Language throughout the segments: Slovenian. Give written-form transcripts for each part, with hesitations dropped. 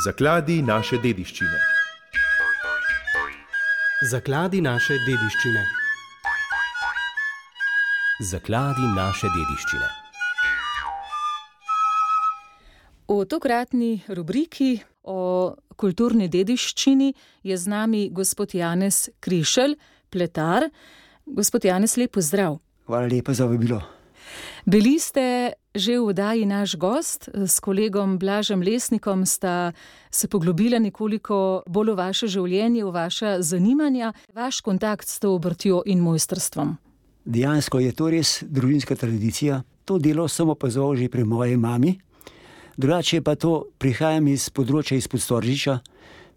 Zakladi naše dediščine. Zakladi naše dediščine. Zakladi naše dediščine. V tokratni rubriki o kulturni dediščini je z nami gospod Janez Krišelj, pletar. Gospod Janez, lep pozdrav. Hvala lepa za vabilo. Bili ste že v oddaji Naš gost, s kolegom Blažem Lesnikom sta se poglobila nekoliko bolj v vaše življenje, v vaša zanimanja, vaš kontakt s to obrtjo in mojstrstvom. Dejansko je to res družinska tradicija. To delo sem opazoval že pri moji mami. Drugače pa to prihajam iz področja izpod Storžiča,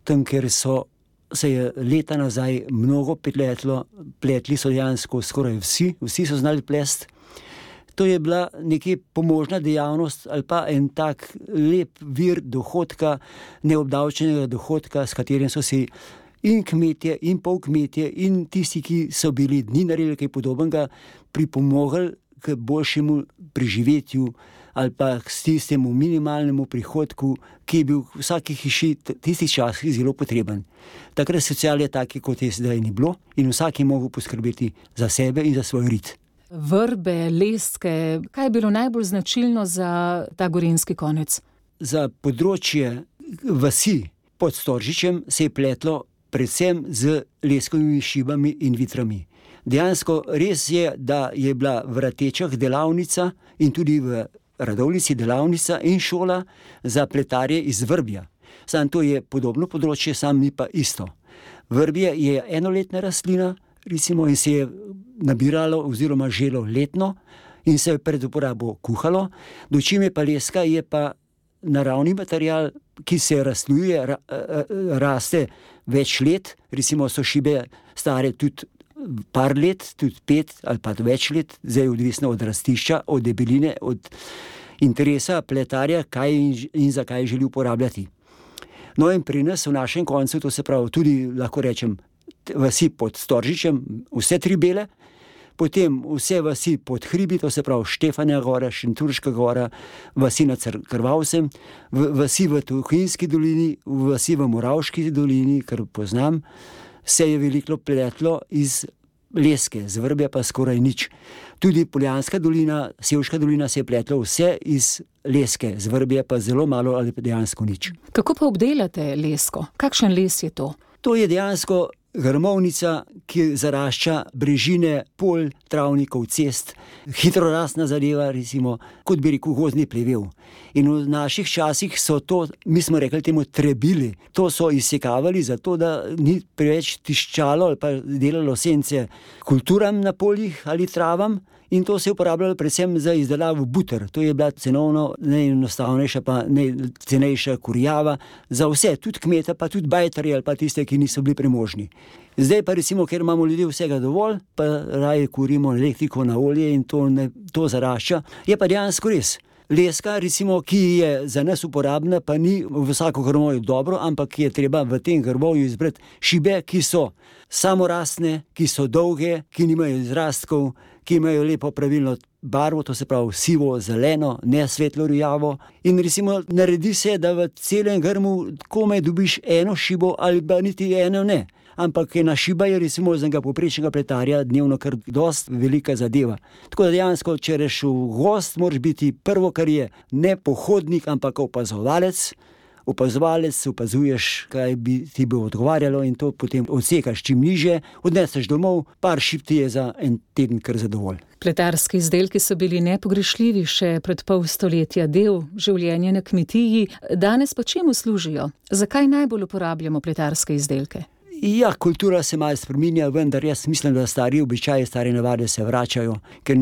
tam, ker se je leta nazaj mnogo pletli so dejansko skoraj vsi so znali plest. To je bila nekaj pomožna dejavnost ali pa en tak lep vir dohodka, neobdavčenega dohodka, s katerim so si in kmetje, in polkmetje, in tisti, ki so bili dninarji ali kaj podobnega, pripomogli k boljšemu preživetju ali pa k tistemu minimalnemu prihodku, ki je bil v vsaki hiši tistih časih zelo potreben. Takrat socialne take, kot je sedaj, ni bilo in vsak je mogel poskrbeti za sebe in za svoj rit. Vrbe, leske, kaj je bilo najbolj značilno za ta gorenjski konec? Za področje vasi pod Storžičem se je pletlo predvsem z leskovimi šibami in vitrami. Dejansko res je, da je bila v Ratečah delavnica in tudi v Radovljici delavnica in šola za pletarje iz vrbja. Samo to je podobno področje, samo ni pa isto. Vrbje je enoletna rastlina, recimo, in se je nabiralo oziroma želo letno in se je pred uporabo kuhalo, dočim je pa leska, je pa naravni material, ki se razsluje, raste več let, recimo so šibe stare tudi par let, tudi 5 ali pa več let, zdaj odvisno od rastišča, od debeline, od interesa pletarja, kaj in zakaj želi uporabljati. No in pri nas v našem koncu, to se pravi tudi, lahko rečem, vasi pod Storžičem, vse 3 bele, potem vse vasi pod hribi, to se pravi Štefanja gora, Šentjurška gora, vasi nad Krvavcem, vasi v Tuhinjski dolini, vasi v Moravški dolini, kar poznam, se je veliko pletlo iz leske, z vrbja pa skoraj nič. Tudi Poljanska dolina, Sevška dolina se je pletlo vse iz leske, z vrbja pa zelo malo ali pa dejansko nič. Kako pa obdelate lesko? Kakšen les je to? To je dejansko grmovnica, ki zarašča brežine, polj, travnikov, cest, hitro rastna zadeva, recimo, kot bi rekel, gozdni plevel. In v naših časih so to, mi smo rekli temu, trebili. To so izsekavali zato, da ni preveč tiščalo ali pa delalo sence kulturam na poljih ali travam. In to se je uporabljalo predvsem za izdelavo buter. To je bila cenovno najenostavnejša pa najcenejša kurjava za vse, tudi kmeta, pa tudi bajtarje ali pa tiste, ki niso bili premožni. Zdaj pa recimo, ker imamo ljudje vsega dovolj, pa raje kurimo elektriko na olje in to zarašča, je pa dejansko res. Leska, recimo, ki je za nas uporabna, pa ni v vsako grmovju dobro, ampak je treba v tem grmovju izbrati šibe, ki so samorastne, ki so dolge, ki nimajo izrastkov, ki imajo lepo pravilno barvo, to se pravi sivo, zeleno, ne svetlo rjavo. In recimo naredi se, da v celem grmu komaj dobiš eno šibo ali pa niti eno ne. Ampak ena šiba je recimo za enega povprečnega pletarja dnevno kar dosti velika zadeva. Tako da dejansko, če reš v gost, moraš biti prvo, kar je ne pohodnik, ampak opazovalec. Opazuješ, kaj bi ti bo odgovarjalo in to potem odsekaš čim niže, odneseš domov, par šib ti je za en teden kar zadovolj. Pletarski izdelki so bili nepogrešljivi še pred pol stoletja, del življenja na kmetiji. Danes pa čemu služijo? Zakaj najbolj uporabljamo pletarske izdelke? Ja, kultura se malo spreminja, vendar jaz mislim, da stari običaji, stare navade se vračajo, ker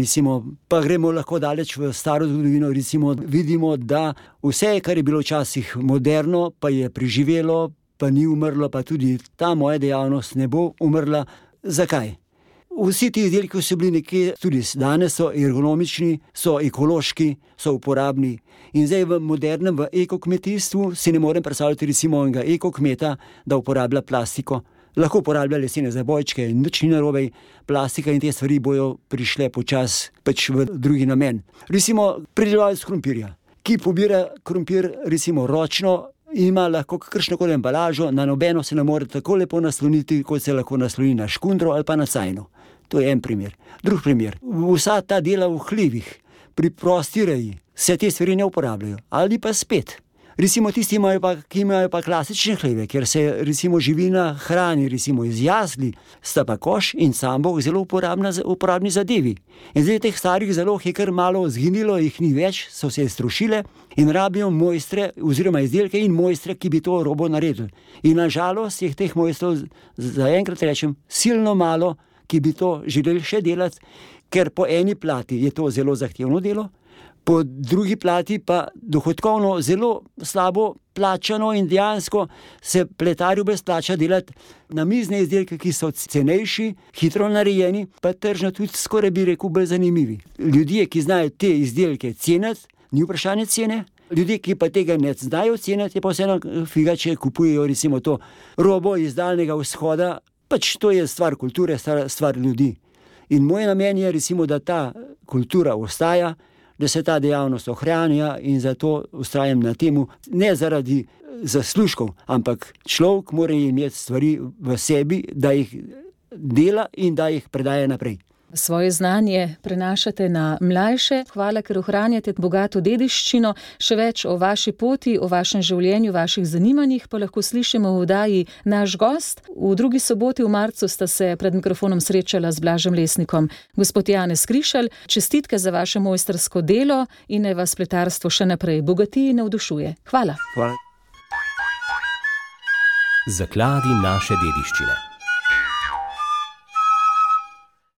pa gremo lahko daleč v staro zgodovino, recimo vidimo, da vse, kar je bilo včasih moderno, pa je preživelo, pa ni umrlo, pa tudi ta moja dejavnost ne bo umrla. Zakaj? Vsi ti izdelki so bili nekje, tudi danes so ergonomični, so ekološki, so uporabni. In zdaj v modernem, v ekokmetijstvu si ne morem predstavljati recimo enega ekokmeta, da uporablja plastiko. Lahko uporablja lesene zabojčke, nič ni narobe, plastika in te stvari bojo prišle počasi pač v drugi namen. Recimo pridelovalec krompirja, ki pobira krompir recimo ročno, ima lahko kakršnokoli embalažo, na nobeno se ne more tako lepo nasloniti, kot se lahko nasloni na škundro ali pa na cajno. To je en primer. Drug primer, vsa ta dela v hlivih, pri prosti reji, se te stvari ne uporabljajo. Ali pa spet, recimo tisti, ki imajo pa klasične hlive, ker se recimo živina hrani, recimo iz jasli, sta pa koš in sambok zelo uporabni zadevi. In zdaj teh starih zalog je kar malo zginilo, jih ni več, so se strušile in rabijo mojstre oziroma izdelke in mojstre, ki bi to robo naredili. In nažalost je teh mojstrov, zaenkrat rečem, silno malo, ki bi to želeli še delati, ker po eni plati je to zelo zahtevno delo, po drugi plati pa dohodkovno zelo slabo plačano in dejansko se pletarju brezplača delati namizne izdelke, ki so cenejši, hitro narejeni, pa tržno tudi skoraj bi rekel bolj zanimivi. Ljudje, ki znajo te izdelke ceniti, ni vprašanje cene, ljudje, ki pa tega ne znajo ceniti, je pa vseeno figa, če kupujejo recimo to robo iz Daljnega vzhoda, pač to je stvar kulture, stvar ljudi. In moj namen je recimo, da ta kultura ostaja, da se ta dejavnost ohranja in zato vztrajam na temu, ne zaradi zaslužkov, ampak človek mora imeti stvari v sebi, da jih dela in da jih predaja naprej. Svoje znanje prenašate na mlajše. Hvala, ker ohranjate bogato dediščino. Še več o vaši poti, o vašem življenju, vaših zanimanjih pa lahko slišimo v oddaji Naš gost. V drugi soboti v marcu sta se pred mikrofonom srečala z Blažem Lesnikom. Gospod Janez Krišelj, čestitke za vaše mojstrsko delo in naj vas pletarstvo še naprej bogati in navdušuje. Hvala. Hvala. Zakladi naše dediščine.